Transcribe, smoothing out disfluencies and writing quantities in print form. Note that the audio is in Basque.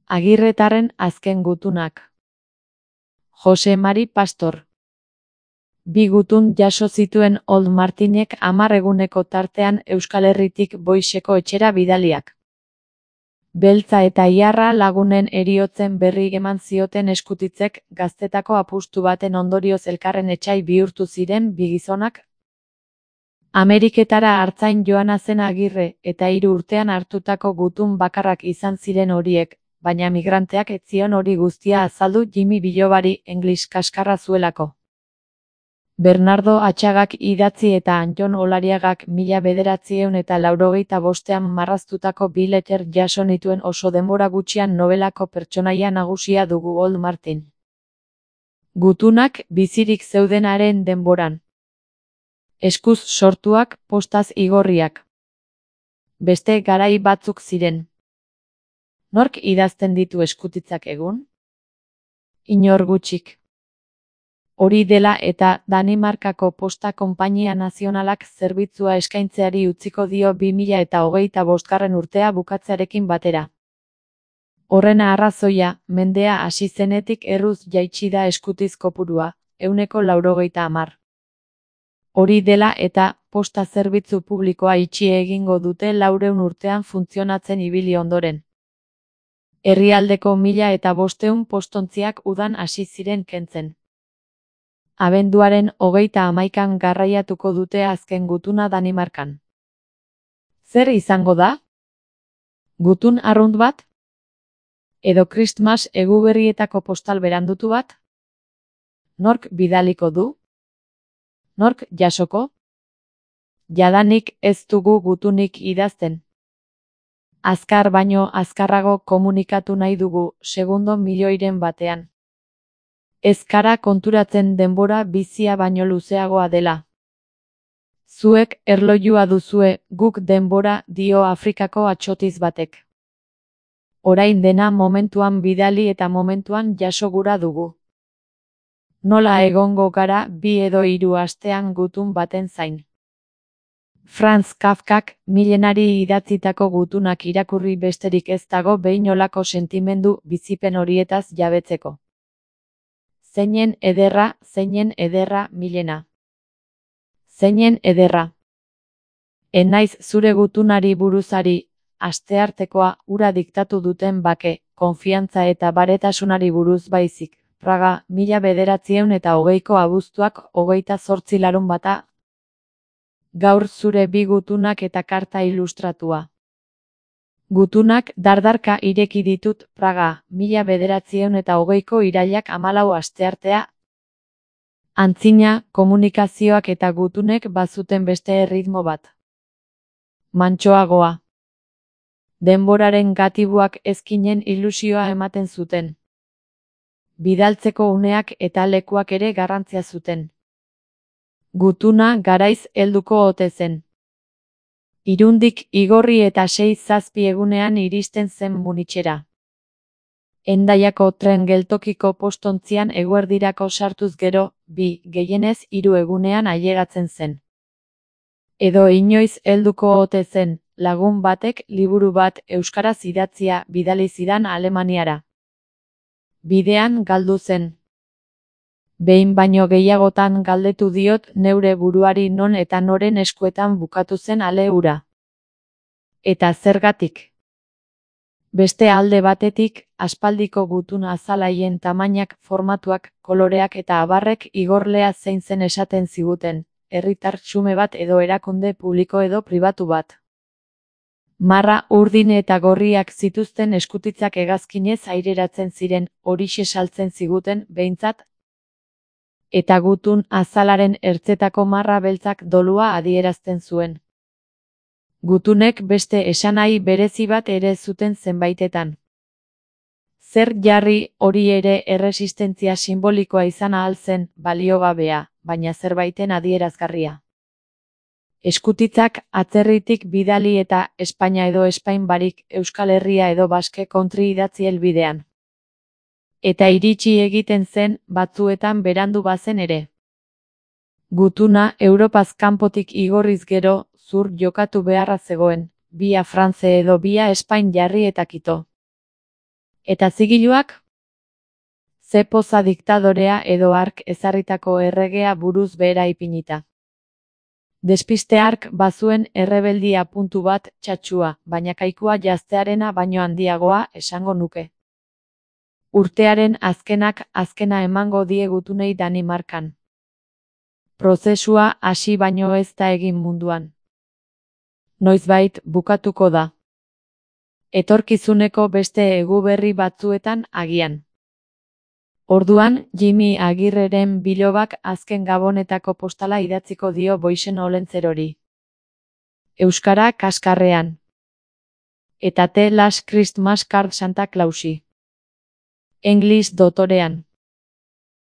Agirretarren azken gutunak. Jose Mari Pastor. Bi gutun jaso zituen Old Martinek 10 eguneko tartean Euskal Herritik Boixeko etxera bidaliak. Beltza eta Iarra lagunen heriotzen berri eman zioten Eskutitzek gaztetako apustu baten ondorioz elkarren etsai bihurtu ziren bi gizonak. Ameriketara artzain joana zen Agirre eta 3 urtean hartutako gutun bakarrak izan ziren horiek, baina migranteak ez zion hori guztia azaldu Jimmy Bilobari English kaskarra zuelako. Bernardo Atxagak idatzi eta Anton Olariagak 1985ean marraztutako bi letter jaso nituen oso denbora gutxian nobelako pertsonaia nagusia dugu Old Martin. Gutunak bizirik zeudenaren denboran. Eskuz sortuak, postaz igorriak. Beste garai batzuk ziren. Nork idazten ditu Eskutitzak egun? Inor gutxik. Hori dela eta Danimarkako Posta Konpainia Nazionalak zerbitzua eskaintzeari utziko dio 2025 urtea bukatzearekin batera. Horren arrazoia, mendea hasi zenetik erruz jaitsi da eskutiz kopurua, 90%. Hori dela eta posta zerbitzu publikoa itxi egingo dute 400 urtean funtzionatzen ibili ondoren. Herrialdeko 1500 postontziak udan hasi ziren kentzen. Abenduaren 31an garraiatuko dute azken gutuna Danimarkan. Zer izango da? Gutun arrunt bat? Edo Christmas eguberrietako postal berandutu bat? Nork bidaliko du? Nork jasoko? Jadanik ez dugu gutunik idazten. Azkar baino azkarrago komunikatu nahi dugu, segundo milioiren batean. Ez kara konturatzen denbora bizia baino luzeagoa dela. Zuek erlojua duzue, guk denbora, dio Afrikako atsotiz batek. Orain dena momentuan bidali eta momentuan jaso gura dugu. Nola egongo gara 2 edo 3 astean gutun baten zain. Franz Kafkak milenari idatzitako gutunak irakurri besterik ez dago behin olako sentimendu bizipen horietaz jabetzeko. Zeinen ederra Milena. Zeinen ederra. Enaiz zure gutunari buruzari, asteartekoa ura diktatu duten bake, konfiantza eta baretasunari buruz baizik. Praga, 1920ko abuztuak 28 larunbata. Gaur zure bi gutunak eta karta ilustratua. Gutunak dardarka ireki ditut Praga, 1920ko irailak 14 asteartea. Antzina, komunikazioak eta gutunek bazuten beste erritmo bat. Mantsoagoa. Denboraren gatibuak ezkinen ilusioa ematen zuten. Bidaltzeko uneak eta lekuak ere garrantzia zuten. Gutuna garaiz helduko ote zen. Irundik igorri eta 6-7 egunean iristen zen Munitxera. Hendaiako tren geltokiko postontzian eguerdirako sartuz gero, 2, gehienez 3 egunean ailegatzen zen. Edo inoiz helduko ote zen, lagun batek liburu bat euskaraz idatzia bidali zidan Alemaniara. Bidean galdu zen. Behin baino gehiagotan galdetu diot neure buruari non eta noren eskuetan bukatu zen ale hura. Eta zergatik? Beste alde batetik, aspaldiko gutun azalaien tamainak, formatuak, koloreak eta abarrek igorlea zein zen esaten ziguten, herritar xume bat edo erakunde publiko edo pribatu bat. Marra urdin eta gorriak zituzten Eskutitzak hegazkinez aireratzen ziren, horixe saltzen ziguten, behintzat, eta gutun azalaren ertzetako marra beltzak dolua adierazten zuen. Gutunek beste esanahi berezi bat ere zuten zenbaitetan. Zer jarri hori ere erresistentzia simbolikoa izan ahal zen, baliogabea, baina zerbaiten adierazgarria. Eskutitzak atzerritik bidali eta Espainia edo Espain barik Euskal Herria edo Baske kontri idatzi helbidean. Eta iritsi egiten zen, batzuetan berandu bazen ere. Gutuna Europaz kanpotik igorriz gero, zur jokatu beharra zegoen, via France edo via Espain jarri eta kito. Eta zigiluak? Ze poza diktadorea edo hark ezarritako erregea buruz behera ipinita. Despiste hark bazuen errebeldia puntu bat txatxua, baina kaikua jaztearena baino handiagoa esango nuke. Urtearen azkena emango die gutunei Danimarkan. Prozesua hasi baino ez da egin munduan. Noizbait bukatuko da. Etorkizuneko beste eguberri batzuetan agian. Orduan, Jimmy Agirreren bilobak azken gabonetako postala idatziko dio Boixen Olentzerori. Euskara kaskarrean. Eta The Last Christmas Card Santa Clausi. English dotorean.